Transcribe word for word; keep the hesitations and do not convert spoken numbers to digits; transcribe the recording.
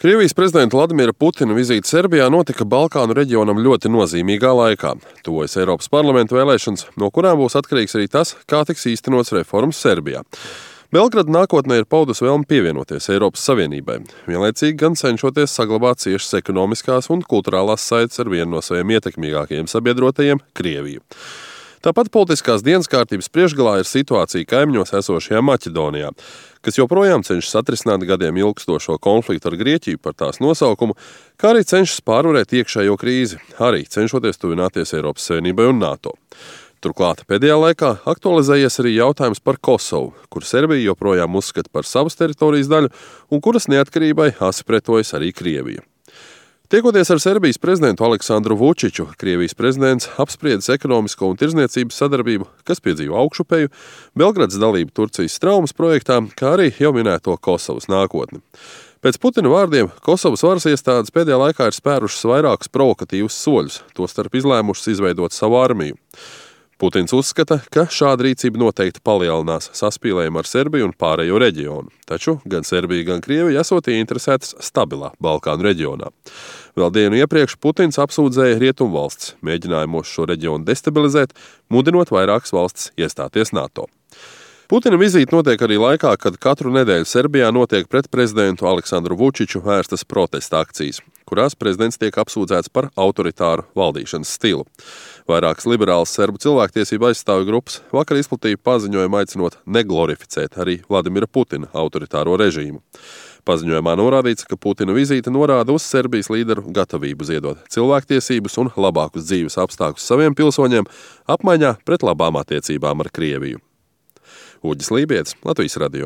Krievijas prezidenta Vladimira Putina vizīte Serbijā notika Balkānu reģionam ļoti nozīmīgā laikā. Tuvojas Eiropas parlamenta vēlēšanas, no kurām būs atkarīgs arī tas, kā tiks īstenots reformas Serbijā. Belgrada nākotnē ir paudusi vēlmi pievienoties Eiropas Savienībai, vienlaicīgi gan cenšoties saglabāt ciešas ekonomiskās un kulturālās saites ar vienu no saviem ietekmīgākajiem sabiedrotajiem – Krieviju. Tāpat politiskās dienas kārtības priekšgalā ir situācija kaimiņos esošajā Maķedonijā, kas joprojām cenšas atrisināt gadiem ilgstošo konfliktu ar Grieķiju par tās nosaukumu, kā arī cenšas pārvarēt iekšējo krīzi, arī cenšoties tuvināties Eiropas Savienībai un NATO. Turklāt pēdējā laikā aktualizējies arī jautājums par Kosovu, kur Serbija joprojām uzskata par savas teritorijas daļu un kuras neatkarībai asi pretojas arī Krievija. Tiekoties ar Serbijas prezidentu Aleksandru Vučiču, Krievijas prezidents apspriedis ekonomisko un tirdzniecības sadarbību, kas piedzīvo augšupeju, Belgradas dalību Turcijas traumas projektā, kā arī jau minēto Kosovas nākotni. Pēc Putina vārdiem, Kosovas varas iestādes pēdējā laikā ir spērušas vairākus provokatīvus soļus, tostarp izlēmušas izveidot savu armiju. Putins uzskata, ka šāda rīcība noteikti palielinās saspīlējumu ar Serbiju un pārējo reģionu, taču gan Serbija, gan Krievija esot ieinteresētas stabilā Balkānu reģionā. Vēl dienu iepriekš Putins apsūdzēja rietumvalstis mēģinājumos šo reģionu destabilizēt, mudinot vairākas valstis iestāties NATO. Putina vizīte notiek arī laikā, kad katru nedēļu Serbijā notiek pret prezidentu Aleksandru Vučiču vērstas protesta akcijas, kurās prezidents tiek apsūdzēts par autoritāru valdīšanas stilu. Vairākas liberālas serbu cilvēktiesību aizstāvju grupas vakar izplatīja paziņojumu aicinot neglorificēt arī Vladimira Putina autoritāro režīmu. Paziņojumā norādīts, ka Putina vizīte norāda uz Serbijas līderu gatavību ziedot cilvēktiesības un labākus dzīves apstākļus saviem pilsoņiem apmaiņā pret labām attiecībām ar Krieviju. Uģis Lībietis, Latvijas radio.